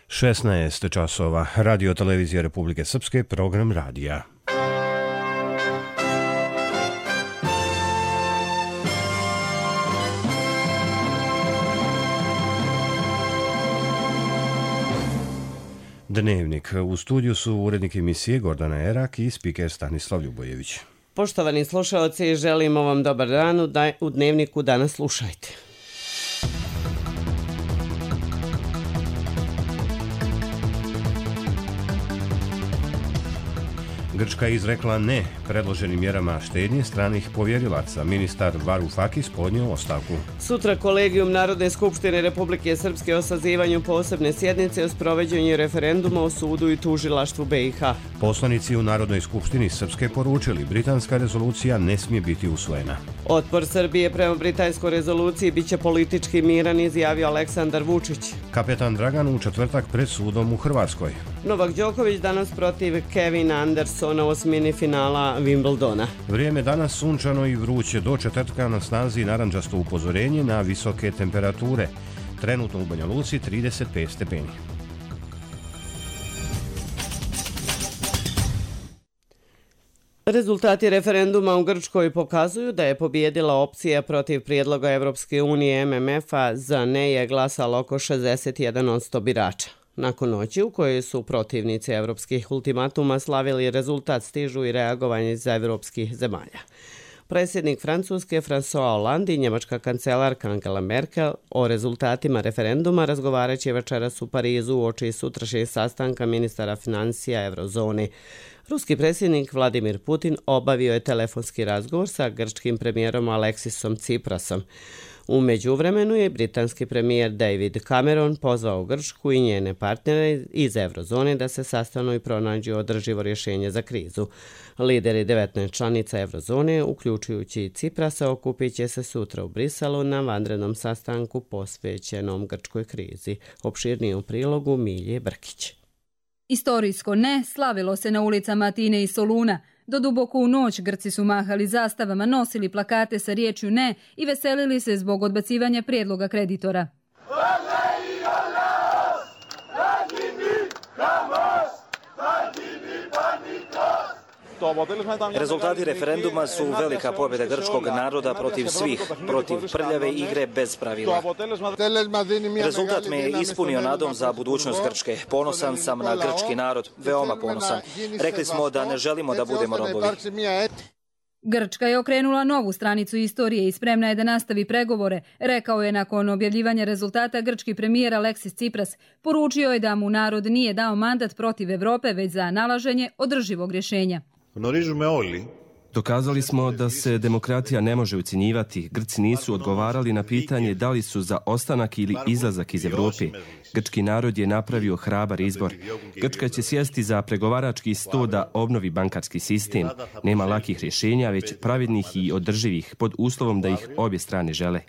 16 časova. Radio Televizija Republike Srpske, program radija. Dnevnik. U studiju su urednik emisije Gordana Erak i spiker Stanislav Ljubojević. Poštovani slušaoci, želimo vam dobar dan. U Dnevniku danas slušajte. Grčka je izrekla ne predloženim mjerama štednje stranih povjerilaca. Ministar Varoufakis podnio ostavku. Sutra Kolegijum Narodne skupštine Republike Srpske o sazivanju posebne sjednice o sprovođenju referenduma o sudu i tužilaštvu BiH. Poslanici u Narodnoj skupštini Srpske poručili britanska rezolucija ne smije biti usvojena. Otpor Srbije prema britanskoj rezoluciji biće politički miran, izjavio Aleksandar Vučić. Kapetan Dragan u četvrtak pred sudom u Hrvatskoj. Novak Đoković danas protiv Kevina Andersona u osmini finala Wimbledona. Vrijeme danas sunčano i vruće, do četvrtka na snazi narandžasto upozorenje na visoke temperature. Trenutno u Banja Luci 35 stepeni. Rezultati referenduma u Grčkoj pokazuju da je pobijedila opcija protiv prijedloga Evropske unije MMF-a. Za ne je glasalo oko 61% birača. Nakon noći u kojoj su protivnici evropskih ultimatuma slavili rezultat, stižu i reagovanje iz evropskih zemalja. Predsjednik Francuske François Hollande i njemačka kancelarka Angela Merkel o rezultatima referenduma razgovaraće večeras u Parizu uoči sutrašnjeg sastanka ministara financija Eurozone. Ruski predsjednik Vladimir Putin obavio je telefonski razgovor sa grčkim premijerom Aleksisom Tsiprasom. U međuvremenu je britanski premijer David Cameron pozvao Grčku i njene partnere iz Eurozone da se sastanu i pronađu održivo rješenje za krizu. Lideri 19 članica Eurozone, uključujući i Tsiprasa, okupit će se sutra u Briselu na vanrednom sastanku posvećenom grčkoj krizi. Opširnije u prilogu Milje Brkić. Istorijsko ne slavilo se na ulicama Atine i Soluna. Do duboko u noć Grci su mahali zastavama, nosili plakate sa riječju ne i veselili se zbog odbacivanja prijedloga kreditora. Rezultati referenduma su velika pobjeda grčkog naroda protiv svih, protiv prljave igre bez pravila. Rezultat me je ispunio nadom za budućnost Grčke. Ponosan sam na grčki narod, veoma ponosan. Rekli smo da ne želimo da budemo robovi. Grčka je okrenula novu stranicu istorije i spremna je da nastavi pregovore, rekao je nakon objavljivanja rezultata grčki premijer Aleksis Tsipras. Poručio je da mu narod nije dao mandat protiv Evrope, već za nalaženje održivog rješenja. Dokazali smo da se demokratija ne može ucjenjivati. Grci nisu odgovarali na pitanje da li su za ostanak ili izlazak iz Evrope. Grčki narod je napravio hrabar izbor. Grčka će sjesti za pregovarački sto da obnovi bankarski sistem. Nema lakih rješenja, već pravednih i održivih, pod uslovom da ih obje strane žele.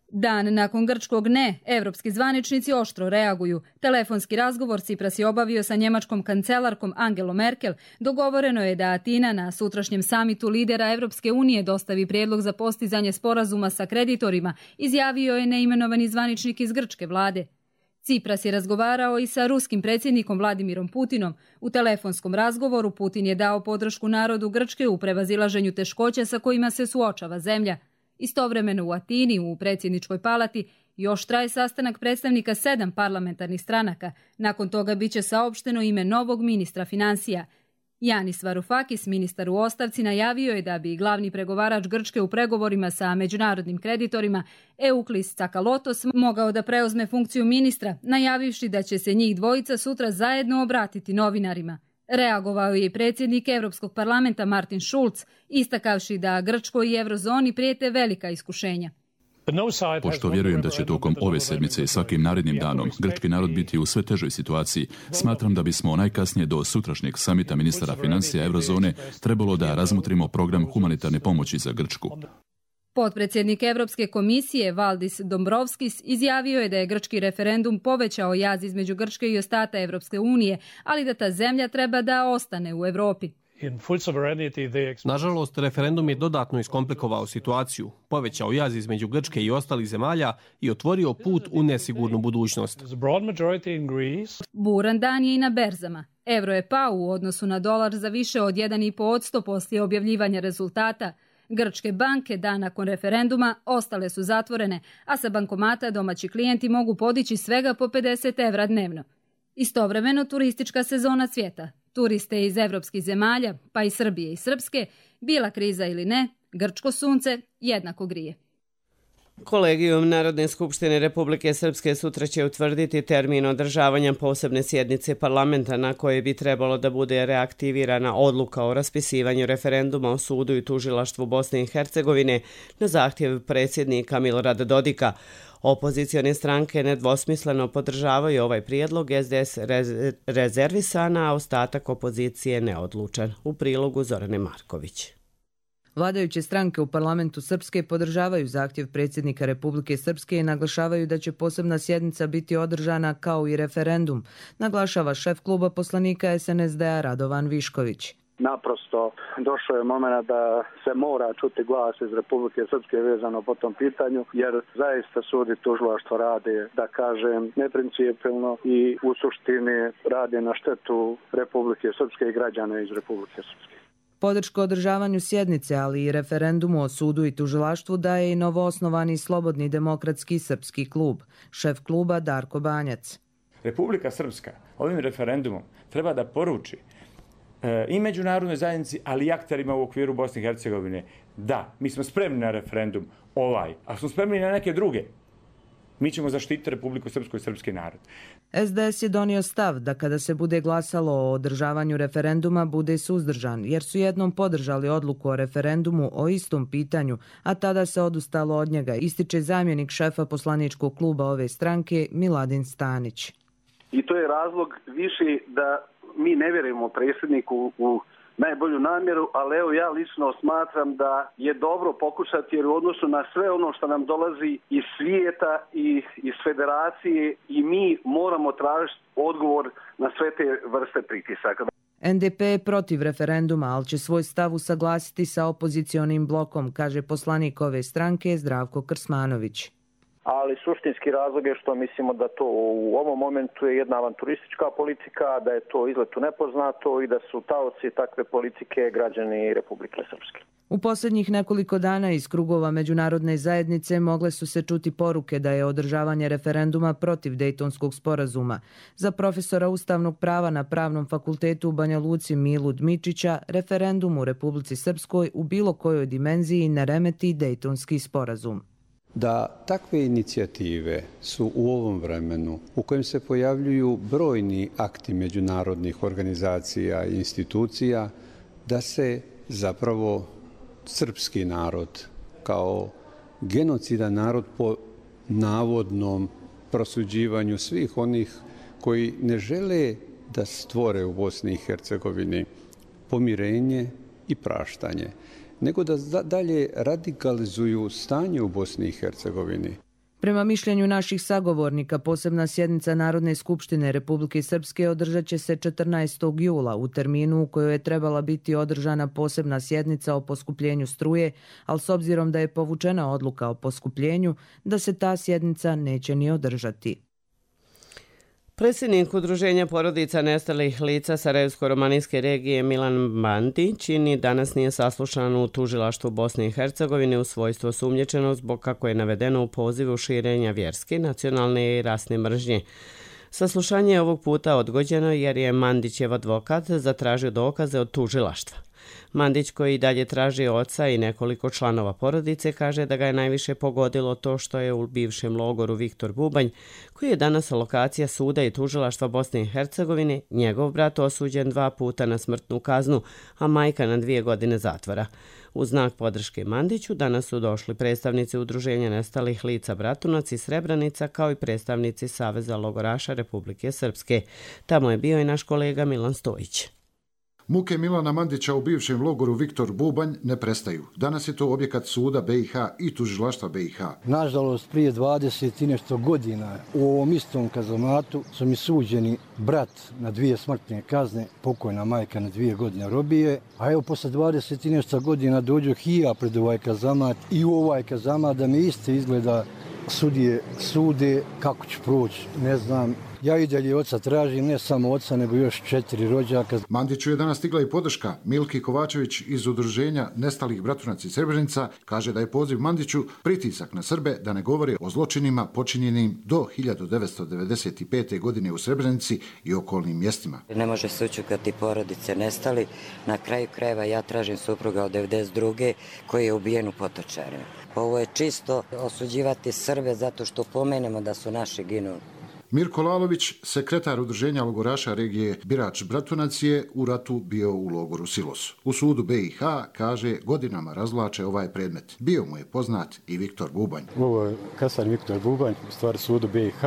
Dan nakon grčkog ne, evropski zvaničnici oštro reaguju. Telefonski razgovor Tsipras je obavio sa njemačkom kancelarkom Angelom Merkel. Dogovoreno je da Atina na sutrašnjem samitu lidera Evropske unije dostavi prijedlog za postizanje sporazuma sa kreditorima, izjavio je neimenovani zvaničnik iz grčke vlade. Tsipras je razgovarao i sa ruskim predsjednikom Vladimirom Putinom. U telefonskom razgovoru Putin je dao podršku narodu Grčke u prevazilaženju teškoća sa kojima se suočava zemlja. Istovremeno u Atini, u predsjedničkoj palati, još traje sastanak predstavnika 7 parlamentarnih stranaka. Nakon toga biće saopšteno ime novog ministra financija. Yanis Varoufakis, ministar u ostavci, najavio je da bi glavni pregovarač Grčke u pregovorima sa međunarodnim kreditorima Euklis Tsakalotos mogao da preuzme funkciju ministra, najavivši da će se njih dvojica sutra zajedno obratiti novinarima. Reagovao je i predsjednik Europskog parlamenta Martin Schulz, istakavši da Grčkoj i Eurozoni prijete velika iskušenja. Pošto vjerujem da će tokom ove sedmice i svakim narednim danom grčki narod biti u sve težoj situaciji, smatram da bismo najkasnije do sutrašnjeg samita ministara financija Eurozone trebalo da razmotrimo program humanitarne pomoći za Grčku. Potpredsjednik Europske komisije Valdis Dombrovskis izjavio je da je grčki referendum povećao jaz između Grčke i ostatka Europske unije, ali da ta zemlja treba da ostane u Europi. Nažalost, referendum je dodatno iskomplikovao situaciju, povećao jaz između Grčke i ostalih zemalja i otvorio put u nesigurnu budućnost. Buran dan je i na berzama. Evro je pao u odnosu na dolar za više od 1,5% poslije objavljivanja rezultata. Grčke banke dan nakon referenduma ostale su zatvorene, a sa bankomata domaći klijenti mogu podići svega po 50 evra dnevno. Istovremeno turistička sezona cvjeta. Turiste iz evropskih zemalja, pa i Srbije i Srpske, bila kriza ili ne, grčko sunce jednako grije. Kolegijum Narodne skupštine Republike Srpske sutra će utvrditi termin održavanja posebne sjednice parlamenta na koje bi trebalo da bude reaktivirana odluka o raspisivanju referenduma o sudu i tužilaštvu Bosne i Hercegovine na zahtjev predsjednika Milorada Dodika. Opozicione stranke nedvosmisleno podržavaju ovaj prijedlog, SDS rezervisan, a ostatak opozicije neodlučan. U prilogu Zorane Marković. Vladajuće stranke u parlamentu Srpske podržavaju zahtjev predsjednika Republike Srpske i naglašavaju da će posebna sjednica biti održana kao i referendum, naglašava šef kluba poslanika SNSD-a Radovan Višković. Naprosto došao je moment da se mora čuti glas iz Republike Srpske vezano po tom pitanju, jer zaista sud i tužilaštvo rade, da kažem, neprincipijelno i u suštini rade na štetu Republike Srpske i građana iz Republike Srpske. Podršku održavanju sjednice, ali i referendumu o sudu i tužilaštvu daje i novoosnovani Slobodni demokratski srpski klub, šef kluba Darko Banjac. Republika Srpska ovim referendumom treba da poruči i međunarodnoj zajednici, ali i akterima u okviru Bosne i Hercegovine, da, mi smo spremni na referendum a smo spremni na neke druge. Mi ćemo zaštititi Republiku Srpsku i srpski narod. SDS je donio stav da kada se bude glasalo o održavanju referenduma bude suzdržan, jer su jednom podržali odluku o referendumu o istom pitanju, a tada se odustalo od njega, ističe zamjenik šefa poslaničkog kluba ove stranke Miladin Stanić. I to je razlog više da mi ne vjerujemo predsjedniku u najbolju namjeru, ali evo ja lično smatram da je dobro pokušati, jer u odnosu na sve ono što nam dolazi iz svijeta i iz federacije i mi moramo tražiti odgovor na sve te vrste pritisaka. NDP je protiv referenduma, ali će svoj stav usaglasiti sa opozicionim blokom, kaže poslanik ove stranke Zdravko Krsmanović. Ali suštinski razlog je što mislimo da to u ovom momentu je jedna avanturistička politika, da je to izlet u nepoznato i da su taoci takve politike građani Republike Srpske. U posljednjih nekoliko dana iz krugova međunarodne zajednice mogle su se čuti poruke da je održavanje referenduma protiv Dejtonskog sporazuma. Za profesora ustavnog prava na Pravnom fakultetu u Banja Luci Milu Dmičića, referendum u Republici Srpskoj u bilo kojoj dimenziji ne remeti Dejtonski sporazum. Da takve inicijative su u ovom vremenu u kojem se pojavljuju brojni akti međunarodnih organizacija i institucija, da se zapravo srpski narod kao genocidan narod po navodnom prosuđivanju svih onih koji ne žele da stvore u Bosni i Hercegovini pomirenje i praštanje, nego da dalje radikalizuju stanje u Bosni i Hercegovini. Prema mišljenju naših sagovornika, posebna sjednica Narodne skupštine Republike Srpske održat će se 14. jula u terminu u kojoj je trebala biti održana posebna sjednica o poskupljenju struje, ali s obzirom da je povučena odluka o poskupljenju, da se ta sjednica neće ni održati. Predsjednik Udruženja porodica nestalih lica Sarajevsko-romanijske regije Milan Bandić ni danas nije saslušan u tužilaštvu Bosne i Hercegovine u svojstvu osumnjičenog zbog, kako je navedeno u pozivu, širenja vjerske, nacionalne i rasne mržnje. Saslušanje je ovog puta odgođeno jer je Mandićev advokat zatražio dokaze od tužilaštva. Mandić, koji i dalje traži oca i nekoliko članova porodice, kaže da ga je najviše pogodilo to što je u bivšem logoru Viktor Bubanj, koji je danas lokacija suda i tužilaštva Bosne i Hercegovine, njegov brat osuđen 2 puta na smrtnu kaznu, a majka na 2 godine zatvora. U znak podrške Mandiću danas su došli predstavnici Udruženja nestalih lica Bratunac i Srebrenica, kao i predstavnici Saveza logoraša Republike Srpske. Tamo je bio i naš kolega Milan Stojić. Muke Milana Mandića u bivšem logoru Viktor Bubanj ne prestaju. Danas je to objekat suda BiH i tužilaštva BiH. Nažalost, prije 20 i nešto godina u ovom istom kazamatu su mi suđeni brat na 2 smrtne kazne, pokojna majka na 2 godine robije, a evo posle 20 i nešto godina dođu i ja pred ovaj kazamat i u ovaj kazamat da mi isto izgleda sudije sude, kako ću proći, ne znam. Ja i dalje oca tražim, ne samo oca, nego još 4 rođaka. Mandiću je danas stigla i podrška. Milki Kovačević iz udruženja Nestalih Bratunac iz Srebrenica kaže da je poziv Mandiću pritisak na Srbe da ne govore o zločinima počinjenim do 1995. godine u Srebrenici i okolnim mjestima. Ne može se ućukati porodice nestali. Na kraju krajeva ja tražim supruga od 92. koji je ubijen u Potočarima. Ovo je čisto osuđivati Srbe zato što pomenemo da su naši ginuli. Mirko Lalović, sekretar udruženja logoraša regije Birač Bratunac, je u ratu bio u logoru Silos. U sudu BiH, kaže, godinama razvlače ovaj predmet. Bio mu je poznat i Viktor Bubanj. Ovo je kasar Viktor Bubanj, u stvari sudu BiH.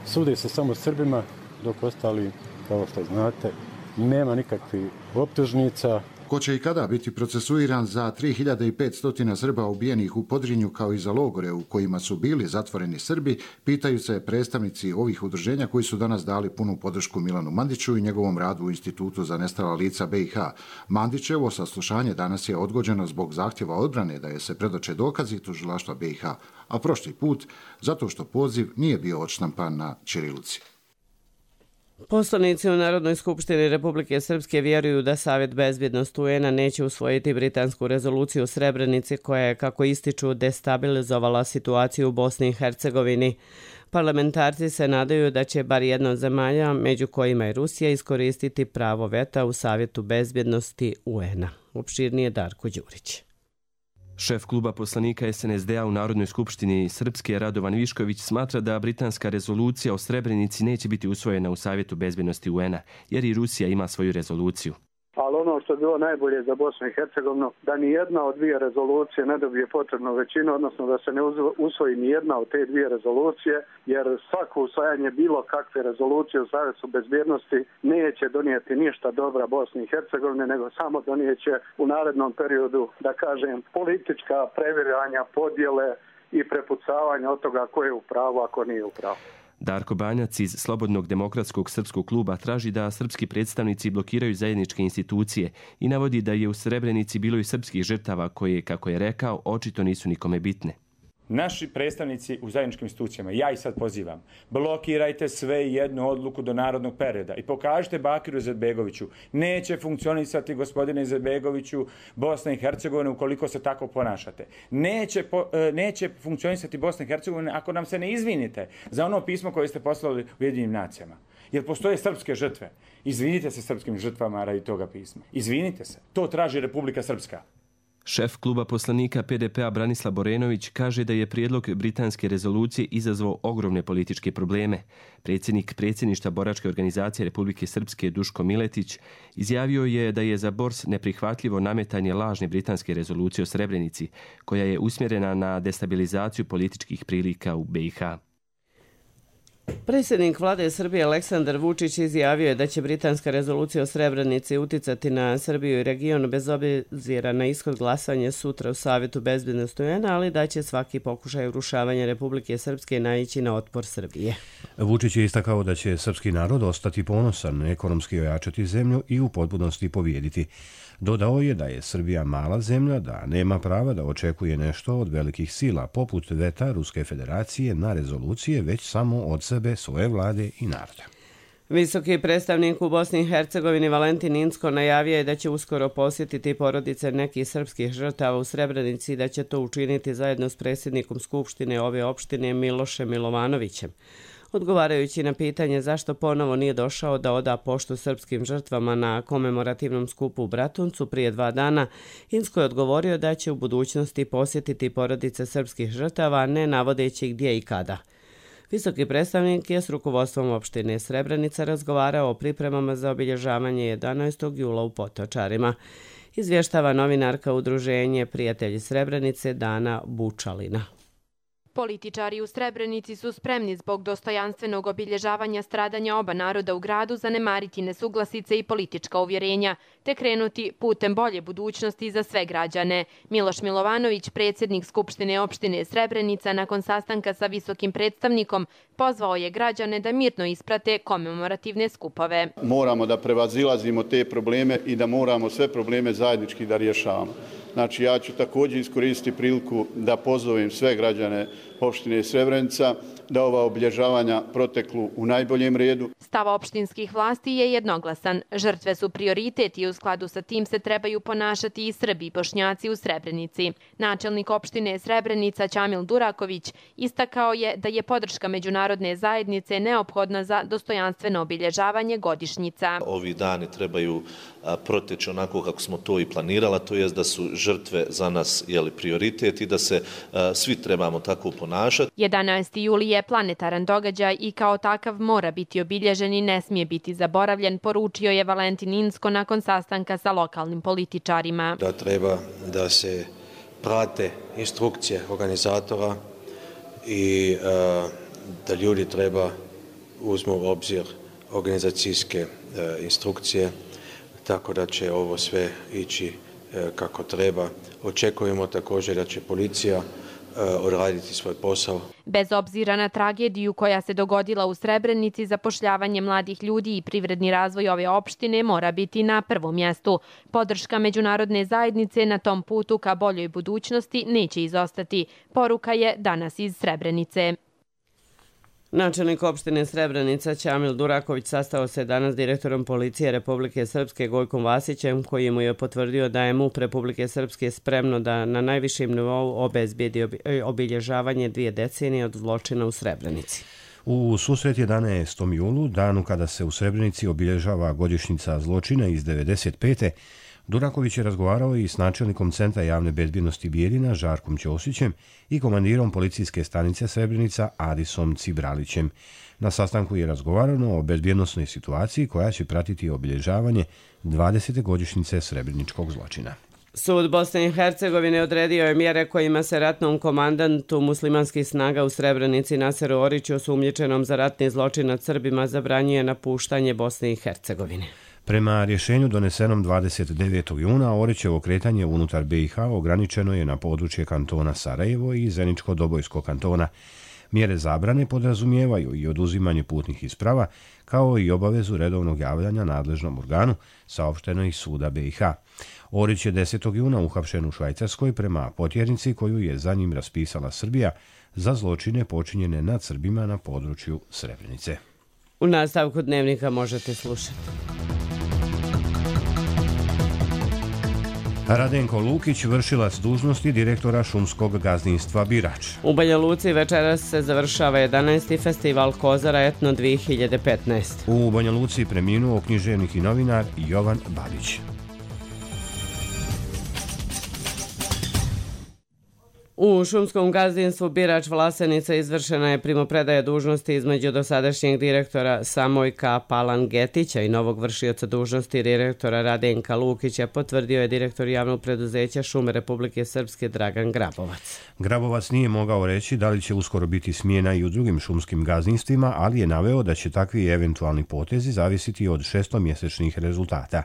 Sude se samo Srbima, dok ostali, kao što znate, nema nikakvih optužnica. Ko će i kada biti procesuiran za 3500 Srba ubijenih u Podrinju kao i za logore u kojima su bili zatvoreni Srbi, pitaju se predstavnici ovih udruženja koji su danas dali punu podršku Milanu Mandiću i njegovom radu u Institutu za nestala lica BiH. Mandićevo saslušanje danas je odgođeno zbog zahtjeva odbrane da je se predoče dokazi tužilaštva BiH, a prošli put zato što poziv nije bio odštampan na ćirilici. Poslanici u Narodnoj skupštini Republike Srpske vjeruju da Savjet bezbjednosti UN-a neće usvojiti britansku rezoluciju o Srebrenici koja je, kako ističu, destabilizovala situaciju u Bosni i Hercegovini. Parlamentarci se nadaju da će bar jedna od zemalja, među kojima je Rusija, iskoristiti pravo veta u Savjetu bezbjednosti UN-a. Opširnije Darko Đurić. Šef kluba poslanika SNSD-a u Narodnoj skupštini Srpske Radovan Višković smatra da britanska rezolucija o Srebrenici neće biti usvojena u Savjetu bezbjednosti UN-a, jer i Rusija ima svoju rezoluciju. Ali ono što je bilo najbolje za Bosnu i Hercegovinu, da ni jedna od 2 rezolucije ne dobije potrebnu većinu, odnosno da se ne usvoji ni jedna od te 2 rezolucije, jer svako usvajanje bilo kakve rezolucije u Savjetu bezbjednosti neće donijeti ništa dobra Bosni i Hercegovine, nego samo donijeće u narednom periodu, da kažem, politička previranja, podjele i prepucavanja od toga ko je u pravu, a ko nije u pravu. Darko Banjac iz Slobodnog demokratskog srpskog kluba traži da srpski predstavnici blokiraju zajedničke institucije i navodi da je u Srebrenici bilo i srpskih žrtava koje, kako je rekao, očito nisu nikome bitne. Naši predstavnici u zajedničkim institucijama, ja ih sad pozivam, blokirajte sve i jednu odluku do narodnog perioda i pokažite Bakiru Izetbegoviću. Neće funkcionisati, gospodine Izetbegoviću, Bosna i Hercegovina ukoliko se tako ponašate. Neće funkcionisati Bosna i Hercegovina ako nam se ne izvinite za ono pismo koje ste poslali Ujedinjenim nacijama. Jer postoje srpske žrtve. Izvinite se srpskim žrtvama radi toga pisma. Izvinite se. To traži Republika Srpska. Šef kluba poslanika PDP-a Branislav Borenović kaže da je prijedlog britanske rezolucije izazvao ogromne političke probleme. Predsjednik predsjedništva boračke organizacije Republike Srpske Duško Miletić izjavio je da je za Bors neprihvatljivo nametanje lažne britanske rezolucije o Srebrenici, koja je usmjerena na destabilizaciju političkih prilika u BiH. Predsjednik vlade Srbije Aleksandar Vučić izjavio je da će britanska rezolucija o Srebrenici uticati na Srbiju i region bez obzira na ishod glasanja sutra u Savjetu bezbjednosti UN-a, ali da će svaki pokušaj urušavanja Republike Srpske naići na otpor Srbije. Vučić je istakao da će srpski narod ostati ponosan, ekonomski ojačati zemlju i u potpunosti pobijediti. Dodao je da je Srbija mala zemlja, da nema prava da očekuje nešto od velikih sila, poput veta Ruske federacije na rezolucije, već samo od sebe, svoje vlade i naroda. Visoki predstavnik u Bosni i Hercegovini Valentin Incko najavio je da će uskoro posjetiti porodice nekih srpskih žrtava u Srebrenici i da će to učiniti zajedno s predsjednikom Skupštine ove opštine Milošem Milovanovićem. Odgovarajući na pitanje zašto ponovo nije došao da oda poštu srpskim žrtvama na komemorativnom skupu u Bratuncu prije 2 dana, Incko je odgovorio da će u budućnosti posjetiti porodice srpskih žrtava, ne navodeći gdje i kada. Visoki predstavnik je s rukovodstvom opštine Srebrenica razgovarao o pripremama za obilježavanje 11. jula u Potočarima. Izvještava novinarka udruženje Prijatelji Srebrenice Dana Bučalina. Političari u Srebrenici su spremni zbog dostojanstvenog obilježavanja stradanja oba naroda u gradu zanemariti nesuglasice i politička uvjerenja, te krenuti putem bolje budućnosti za sve građane. Miloš Milovanović, predsjednik Skupštine opštine Srebrenica, nakon sastanka sa visokim predstavnikom, pozvao je građane da mirno isprate komemorativne skupove. Moramo da prevazilazimo te probleme i da moramo sve probleme zajednički da rješavamo. Znači, ja ću također iskoristiti priliku da pozovem sve građane opštine Srebrenica da ova obilježavanja proteklu u najboljem redu. Stav opštinskih vlasti je jednoglasan. Žrtve su prioritet i u skladu sa tim se trebaju ponašati i Srbi i Bošnjaci u Srebrenici. Načelnik opštine Srebrenica Ćamil Duraković istakao je da je podrška međunarodne zajednice neophodna za dostojanstveno obilježavanje godišnjica. Ovi dani trebaju proteći onako kako smo to i planirala, to jest da su žrtve za nas prioritet i da se svi trebamo tako ponašati. 11. juli je planetaran događaj i kao takav mora biti obilježen i ne smije biti zaboravljen, poručio je Valentin Inzko nakon sastanka sa lokalnim političarima. Da treba da se prate instrukcije organizatora i da ljudi treba uzmu u obzir organizacijske instrukcije, tako da će ovo sve ići kako treba. Očekujemo također da će policija odraditi svoj posao. Bez obzira na tragediju koja se dogodila u Srebrenici, zapošljavanje mladih ljudi i privredni razvoj ove opštine mora biti na prvom mjestu. Podrška međunarodne zajednice na tom putu ka boljoj budućnosti neće izostati. Poruka je danas iz Srebrenice. Načelnik opštine Srebrenica Ćamil Duraković sastao se danas s direktorom policije Republike Srpske Gojkom Vasićem, koji mu je potvrdio da je MUP Republike Srpske spremno da na najvišem nivou obezbedi obilježavanje 2 decenije od zločina u Srebrenici. U susret 11. julu, danu kada se u Srebrenici obilježava godišnjica zločina iz 1995. Duraković je razgovarao i s načelnikom Centra javne bezbjednosti Bijeljina Žarkom Ćosićem i komandirom policijske stanice Srebrenica Adisom Cibralićem. Na sastanku je razgovarano o bezbjednosnoj situaciji koja će pratiti obilježavanje 20. godišnjice srebreničkog zločina. Sud Bosne i Hercegovine odredio je mjere kojima se ratnom komandantu muslimanskih snaga u Srebrenici Naseru Oriću, osumnjičenom za ratni zločin nad Srbima, zabranjuje napuštanje Bosne i Hercegovine. Prema rješenju donesenom 29. juna, Orićevo kretanje unutar BiH ograničeno je na područje kantona Sarajevo i Zeničko-Dobojskog kantona. Mjere zabrane podrazumijevaju i oduzimanje putnih isprava, kao i obavezu redovnog javljanja nadležnom organu, saopšteno iz suda BiH. Orić je 10. juna uhapšen u Švajcarskoj prema potjernici koju je za njim raspisala Srbija za zločine počinjene nad Srbima na području Srebrenice. U nastavku dnevnika možete slušati. Radenko Lukić, vršilac dužnosti direktora šumskog gazdinstva Birač. U Banja Luci večeras se završava 11. festival Kozara Etno 2015. U Banja Luci preminuo književnik i novinar Jovan Babić. U šumskom gazdinstvu Birač Vlasenica izvršena je primopredaja dužnosti između dosadašnjeg direktora Samojka Palangetića i novog vršioca dužnosti direktora Radenka Lukića, potvrdio je direktor javnog preduzeća Šume Republike Srpske Dragan Grabovac. Grabovac nije mogao reći da li će uskoro biti smjena i u drugim šumskim gazdinstvima, ali je naveo da će takvi eventualni potezi zavisiti od 6-mjesečnih rezultata.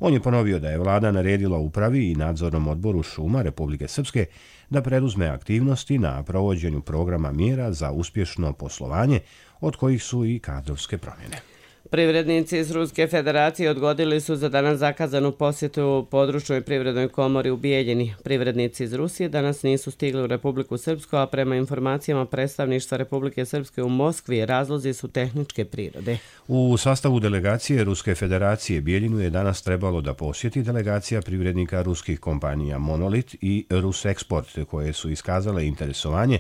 On je ponovio da je vlada naredila upravi i nadzornom odboru šuma Republike Srpske da preduzme aktivnosti na provođenju programa mjera za uspješno poslovanje, od kojih su i kadrovske promjene. Privrednici iz Ruske federacije odgodili su za danas zakazanu posjetu područnoj privrednoj komori u Bijeljini. Privrednici iz Rusije danas nisu stigli u Republiku Srpsku, a prema informacijama predstavništva Republike Srpske u Moskvi razlozi su tehničke prirode. U sastavu delegacije Ruske federacije Bijeljinu je danas trebalo da posjeti delegacija privrednika ruskih kompanija Monolit i Ruseksport, koje su iskazale interesovanje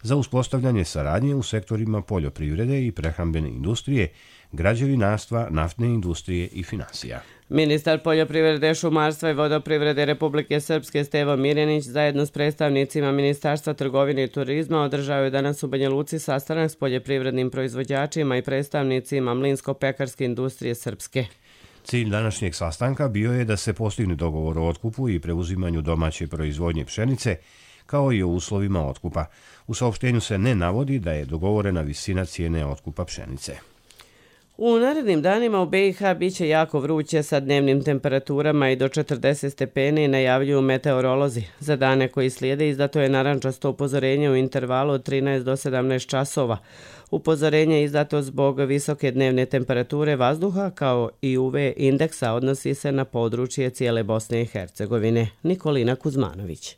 za uspostavljanje saradnje u sektorima poljoprivrede i prehrambene industrije, građevinarstva, naftne industrije i finansija. Ministar poljoprivrede, šumarstva i vodoprivrede Republike Srpske Stevo Mirjanić zajedno s predstavnicima Ministarstva trgovine i turizma održao je danas u Banja Luci sastanak s poljoprivrednim proizvođačima i predstavnicima mlinsko-pekarske industrije Srpske. Cilj današnjeg sastanka bio je da se postigne dogovor o otkupu i preuzimanju domaće proizvodnje pšenice, kao i o uslovima otkupa. U saopštenju se ne navodi da je dogovorena visina cijene otkupa pšenice. U narednim danima u BiH biće jako vruće sa dnevnim temperaturama i do 40 stepeni, najavljuju meteorolozi. Za dane koji slijede izdato je narandžasto upozorenje u intervalu od 13 do 17 časova. Upozorenje je izdato zbog visoke dnevne temperature vazduha kao i UV indeksa, odnosi se na područje cijele Bosne i Hercegovine. Nikolina Kuzmanović.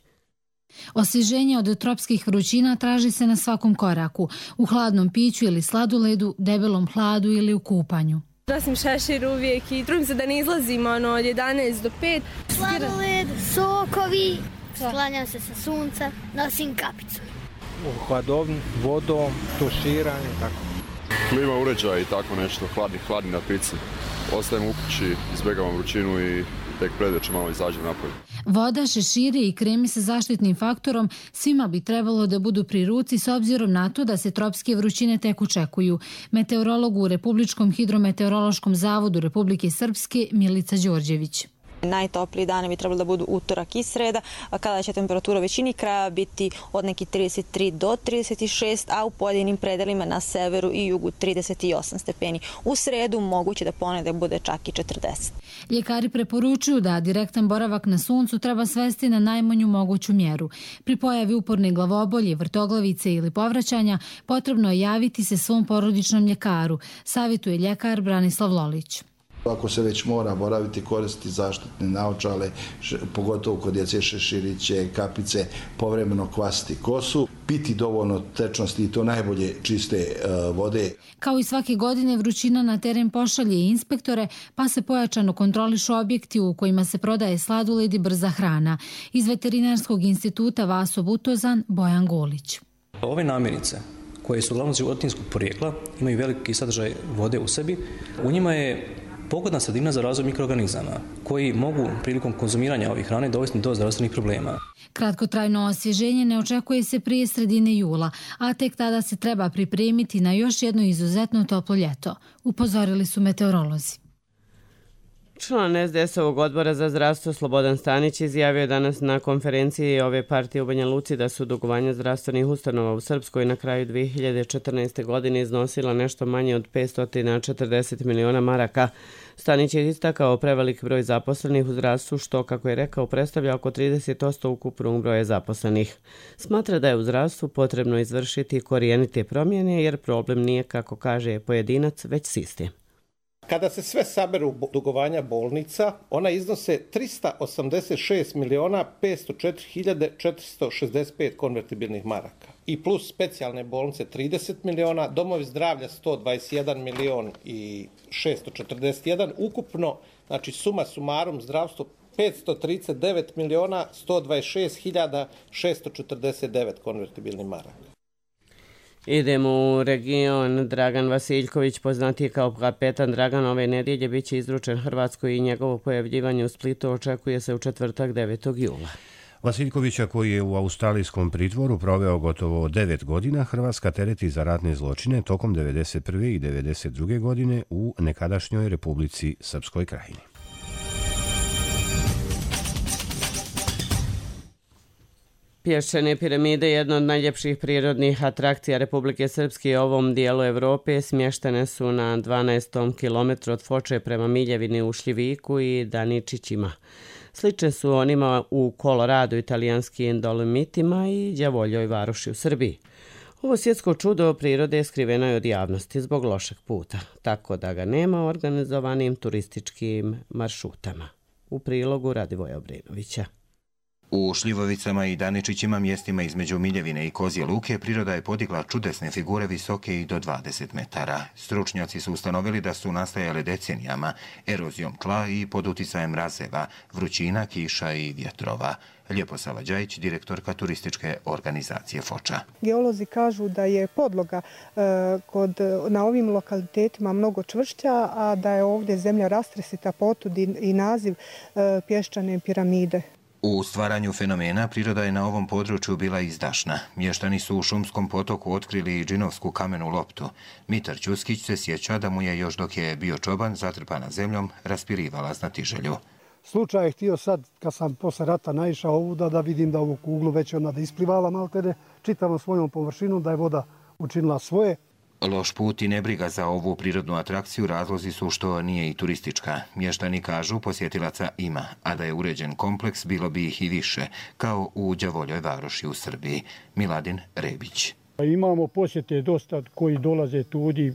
Osvježenje od tropskih vrućina traži se na svakom koraku, u hladnom piću ili sladoledu, debelom hladu ili u kupanju. Nosim šešir uvijek i trudim se da ne izlazim od 11 do 5. Sladoled, sokovi, sklanjam se sa sunca, nosim kapicu. U hladovni, vodom, tuširanje, tako. Klima uređaj i tako nešto, hladni na pici. Ostajem u kući, izbjegavam vrućinu i tek predveče malo izađem napolje. Voda, šeširi i kremi sa zaštitnim faktorom svima bi trebalo da budu pri ruci s obzirom na to da se tropske vrućine tek očekuju. Meteorolog u Republičkom hidrometeorološkom zavodu Republike Srpske Milica Đorđević. Najtopliji dani bi trebalo da budu utorak i sreda, kada će temperatura u većini kraja biti od nekih 33 do 36, a u pojedinim predelima na severu i jugu 38 stepeni. U sredu moguće da ponedjeljak bude čak i 40. Ljekari preporučuju da direktan boravak na suncu treba svesti na najmanju moguću mjeru. Pri pojavi uporne glavobolje, vrtoglavice ili povraćanja potrebno je javiti se svom porodičnom ljekaru, savjetuje ljekar Branislav Lolić. Ako se već mora boraviti, koristiti zaštitne naočale, pogotovo kod djece, šeširiće, kapice, povremeno kvasiti kosu, piti dovoljno tečnosti i to najbolje čiste vode. Kao i svake godine vrućina na teren pošalje i inspektore, pa se pojačano kontrolišu objekti u kojima se prodaje sladoled i brza hrana. Iz Veterinarskog instituta Vaso Butozan, Bojan Golić. Ove namirnice koje su uglavnom životinjskog porijekla imaju veliki sadržaj vode u sebi. U njima je pogodna sredina za razvoj mikroorganizama koji mogu prilikom konzumiranja ovih hrane dovesti do zdravstvenih problema. Kratkotrajno osvježenje ne očekuje se prije sredine jula, a tek tada se treba pripremiti na još jedno izuzetno toplo ljeto, upozorili su meteorolozi. Član SDS-ovog odbora za zdravstvo Slobodan Stanić izjavio danas na konferenciji ove partije u Banja Luci da su dugovanja zdravstvenih ustanova u Srpskoj na kraju 2014. godine iznosila nešto manje od 540 miliona maraka. Stanić je istakao prevelik broj zaposlenih u zdravstvu, što, kako je rekao, predstavlja oko 30% ukupnog broja zaposlenih. Smatra da je u zdravstvu potrebno izvršiti korijenite promjene, jer problem nije, kako kaže pojedinac, već sistem. Kada se sve saberu dugovanja bolnica, ona iznose 386 miliona 504 hiljade 465 konvertibilnih maraka. I plus specijalne bolnice 30 miliona, domovi zdravlja 121 milion i 641, ukupno, znači suma sumarum zdravstvo 539 miliona 126 hiljada 649 konvertibilnih maraka. Idemo u region. Dragan Vasiljković, poznatiji kao kapetan Dragan, ove nedjelje bit će izručen Hrvatskoj i njegovo pojavljivanje u Splitu očekuje se u četvrtak 9. jula. Vasiljkovića, koji je u australijskom pritvoru proveo gotovo 9 godina, Hrvatska tereti za ratne zločine tokom 1991. i 1992. godine u nekadašnjoj Republici Srpskoj Krajini. Pješčane piramide, jedna od najljepših prirodnih atrakcija Republike Srpske i ovom dijelu Evrope, smještene su na 12. kilometru od Foče prema Miljevini u Šljiviku i Daničićima. Slične su onima u Koloradu, italijanskim Dolomitima i Đavoljoj varoši u Srbiji. Ovo svjetsko čudo prirode skriveno je od javnosti zbog lošeg puta, tako da ga nema organizovanim turističkim maršrutama. U prilogu Radivoja Obrenovića. U Šljivovicama i Daničićima, mjestima između Miljevine i Kozje Luke, priroda je podigla čudesne figure visoke i do 20 metara. Stručnjaci su ustanovili da su nastajale decenijama, erozijom tla i pod uticajem mrazeva, vrućina, kiša i vjetrova. Ljeposava Đajić, direktorka turističke organizacije Foča. Geolozi kažu da je podloga na ovim lokalitetima mnogo čvršća, a da je ovdje zemlja rastresita, potud i naziv pješčane piramide. U stvaranju fenomena priroda je na ovom području bila izdašna. Mještani su u šumskom potoku otkrili i džinovsku kamenu loptu. Mitar Ćuskić se sjeća da mu je još dok je bio čoban zatrpana zemljom raspirivala znatiželju. Slučaj je htio sad, kad sam posle rata naišao ovuda, da vidim da ovu kuglu već ona da isplivala maltene čitavom svojom površinom, da je voda učinila svoje. Loš put i nebriga za ovu prirodnu atrakciju razlozi su što nije i turistička. Mještani kažu posjetilaca ima, a da je uređen kompleks bilo bi ih i više, kao u Đavoljoj Varoši u Srbiji. Miladin Rebić. Imamo posjete dosta koji dolaze tudi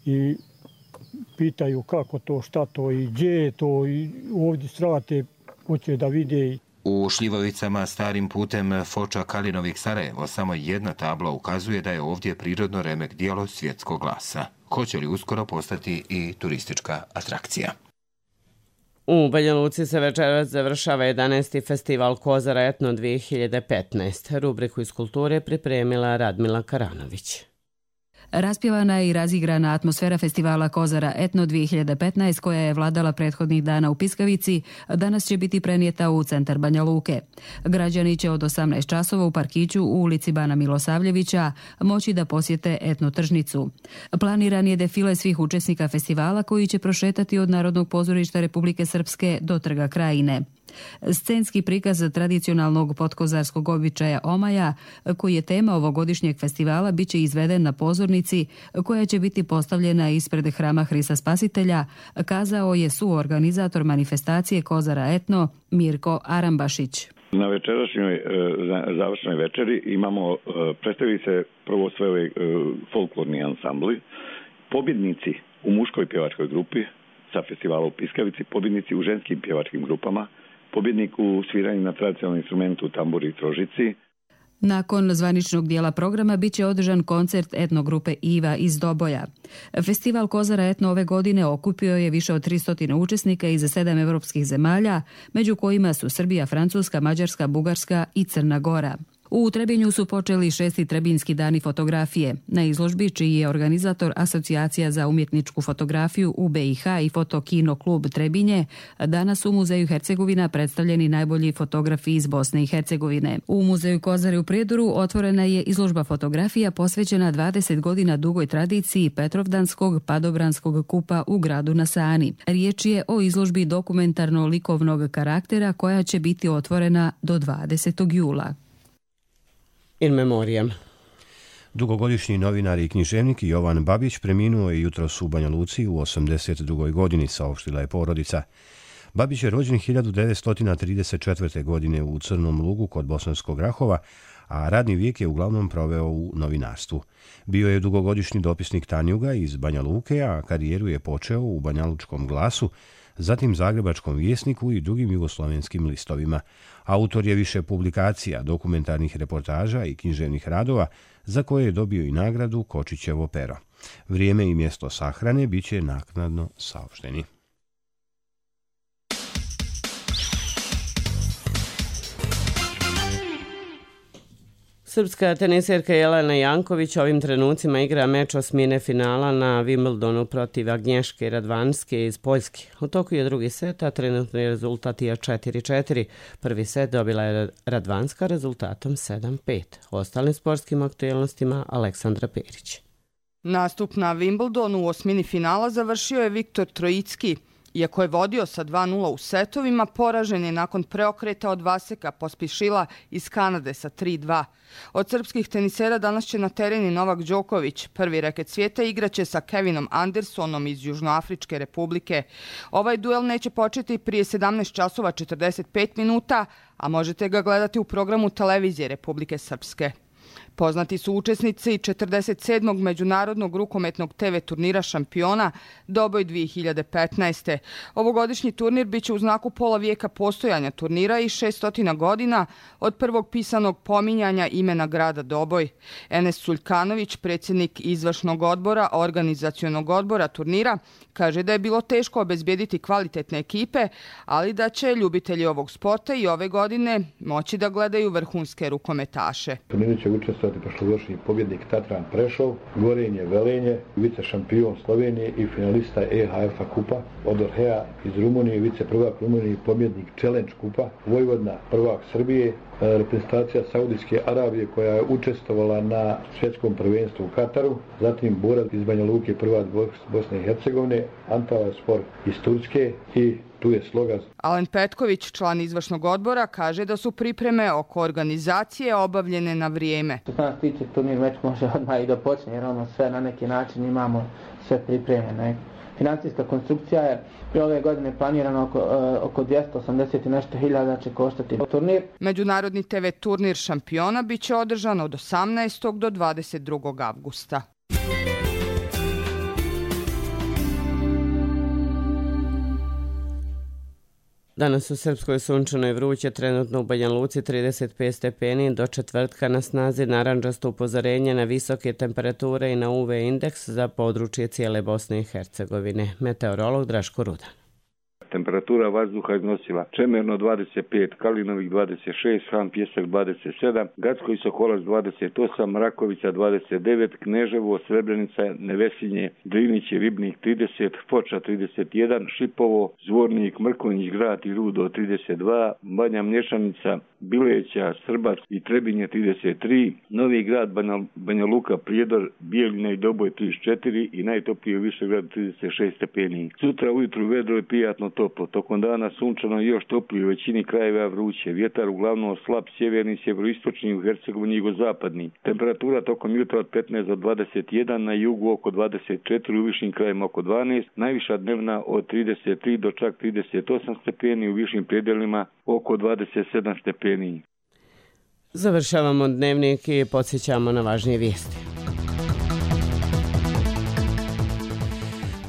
i pitaju kako to, šta to i gdje je to i ovdje srate, hoće da vide. U Šljivovicama starim putem Foča Kalinovik Sarajevo samo jedna tabla ukazuje da je ovdje prirodno remek djelo svjetskog glasa. Hoće li uskoro postati i turistička atrakcija? U Banja Luci se večeras završava 11. festival Kozara Etno 2015. Rubriku iz kulture pripremila Radmila Karanović. Raspjevana je i razigrana atmosfera festivala Kozara Etno 2015 koja je vladala prethodnih dana u Piskavici, danas će biti prenijeta u centar Banja Luke. Građani će od 18 časova u parkiću u ulici Bana Milosavljevića moći da posjete etno tržnicu. Planiran je defile svih učesnika festivala koji će prošetati od Narodnog pozorišta Republike Srpske do Trga Krajine. Scenski prikaz tradicionalnog potkozarskog običaja omaja, koji je tema ovogodišnjeg festivala, biće izveden na pozornici koja će biti postavljena ispred hrama Hrista Spasitelja, kazao je suorganizator manifestacije Kozara Etno Mirko Arambašić. Na večerašnjoj završnoj večeri imamo, predstavili se prvo sve ove folklorni ansambli, pobjednici u muškoj pjevačkoj grupi sa festivala u Piskavici, pobjednici u ženskim pjevačkim grupama, pobjednik u sviranju na tradicionalnom instrumentu tamburi i trožici. Nakon zvaničnog dijela programa biće održan koncert etnogrupe Iva iz Doboja. Festival Kozara Etno ove godine okupio je više od 300 učesnika iz 7 evropskih zemalja, među kojima su Srbija, Francuska, Mađarska, Bugarska i Crna Gora. U Trebinju su počeli 6. Trebinski dani fotografije. Na izložbi, čiji je organizator Asocijacija za umjetničku fotografiju u BiH i Fotokino klub Trebinje, danas u Muzeju Hercegovina predstavljeni najbolji fotografi iz Bosne i Hercegovine. U Muzeju Kozare u Prijedoru otvorena je izložba fotografija posvećena 20 godina dugoj tradiciji Petrovdanskog padobranskog kupa u gradu na Sani. Riječ je o izložbi dokumentarno-likovnog karaktera koja će biti otvorena do 20. jula. In memoriam. Dugogodišnji novinar i književnik Jovan Babić preminuo je jutros u Banja Luci u 82. godini, saopštila je porodica. Babić je rođen 1934. godine u Crnom Lugu kod Bosanskog Rahova, a radni vijek je uglavnom proveo u novinarstvu. Bio je dugogodišnji dopisnik Tanjuga iz Banja Luke, a karijeru je počeo u Banjalučkom glasu, zatim Zagrebačkom vjesniku i drugim jugoslovenskim listovima. Autor je više publikacija, dokumentarnih reportaža i književnih radova, za koje je dobio i nagradu Kočićevo pero. Vrijeme i mjesto sahrane bit će naknadno saopšteni. Srpska teniserka Jelena Janković ovim trenucima igra meč osmine finala na Wimbledonu protiv Agnješke Radvanske iz Poljske. U toku je drugi set, a trenutni rezultat je 4-4. Prvi set dobila je Radvanska rezultatom 7-5. Ostalim sportskim aktualnostima Aleksandra Perić. Nastup na Wimbledonu u osmini finala završio je Viktor Trojicki. Iako je vodio sa 2-0 u setovima, poražen je nakon preokreta od Vaseka Pospišila iz Kanade sa 3-2. Od srpskih tenisera danas će na tereni Novak Đoković. Prvi reket svijeta igraće sa Kevinom Andersonom iz Južnoafričke republike. Ovaj duel neće početi prije 17 časova 45 minuta, a možete ga gledati u programu televizije Republike Srpske. Poznati su učesnici 47. međunarodnog rukometnog TV turnira Šampiona Doboj 2015. Ovogodišnji turnir biće u znaku pola vijeka postojanja turnira i 600 godina od prvog pisanog pominjanja imena grada Doboj. Enes Suljkanović, predsjednik izvršnog odbora, organizacionog odbora turnira, kaže da je bilo teško obezbijediti kvalitetne ekipe, ali da će ljubitelji ovog sporta i ove godine moći da gledaju vrhunske rukometaše. Turnir će učestvovati prošlogodišnji pobjednik Tatran Prešov, Gorenje Velenje, vice šampion Slovenije i finalista EHF-a kupa, Odorhea iz Rumunije, vice prvak Rumunije i pobjednik Challenge kupa, Vojvodina prvak Srbije, reprezentacija Saudijske Arabije koja je učestvovala na svjetskom prvenstvu u Kataru, zatim Borac iz Banja Luke prvak Bosne i Hercegovine, Antala Spor iz Turske i Tu je sloga. Alen Petković, član izvršnog odbora, kaže da su pripreme oko organizacije obavljene na vrijeme. Što se nas tiče, turnir već može odmah i da počne, jer sve na neki način imamo sve pripremljeno. Financijska konstrukcija je pri ove godine planirana oko 280 i nešto hiljada će koštati turnir. Međunarodni TV turnir šampiona biće održan od 18. do 22. avgusta. Danas u Srpskoj sunčano i vruće, trenutno u Banja Luci 35 stepeni, do četvrtka na snazi narandžasto upozorenje na visoke temperature i na UV indeks za područje cijele Bosne i Hercegovine. Meteorolog Draško Rudan. Temperatura vazduha iznosila Čemerno 25, Kalinovik 26, Han Pjesak 27, Gacko i Sokolac 28, Rakovica 29, Kneževo, Srebrenica, Nevesinje, Drinić i Ribnik 30, Foča 31, Šipovo, Zvornik, Mrkonjić, Grad i Rudo 32, Banja Mlješanica, Bileća, Srbac i Trebinje 33, Novi Grad, Banja Luka, Prijedor, Bijeljina i Doboj 34 i najtoplije u Višegradu 36 stepeni. Sutra ujutru vedro i prijatno toplo, tokom dana sunčano i još toplije u većini krajeva vruće, vjetar uglavnom slab sjeverni, sjeveroistočni, u Hercegovini jugozapadni. Temperatura tokom jutra od 15 do 21, na jugu oko 24, u višim krajevima oko 12, najviša dnevna od 33 do čak 38 stepeni, u višim predjelima oko 27 stepeni. Završavamo dnevnik i podsjećamo na važnije vijesti.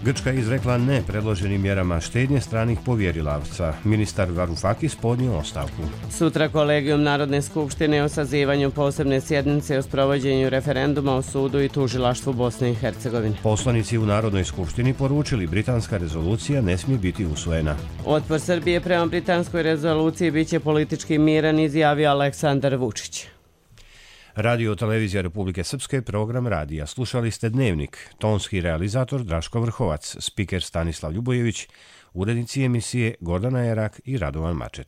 Grčka je izrekla ne predloženim mjerama štednje stranih povjerilaca. Ministar Varoufakis podnio ostavku. Sutra kolegijum Narodne skupštine o sazivanju posebne sjednice o sprovođenju referenduma o sudu i tužilaštvu Bosne i Hercegovine. Poslanici u Narodnoj skupštini poručili britanska rezolucija ne smije biti usvojena. Otpor Srbije prema britanskoj rezoluciji biće politički miran, izjavio Aleksandar Vučić. Radio Televizija Republike Srpske, program radija. Slušali ste Dnevnik. Tonski realizator Draško Vrhovac, spiker Stanislav Ljubojević, urednici emisije Gordana Jerak i Radovan Mačet.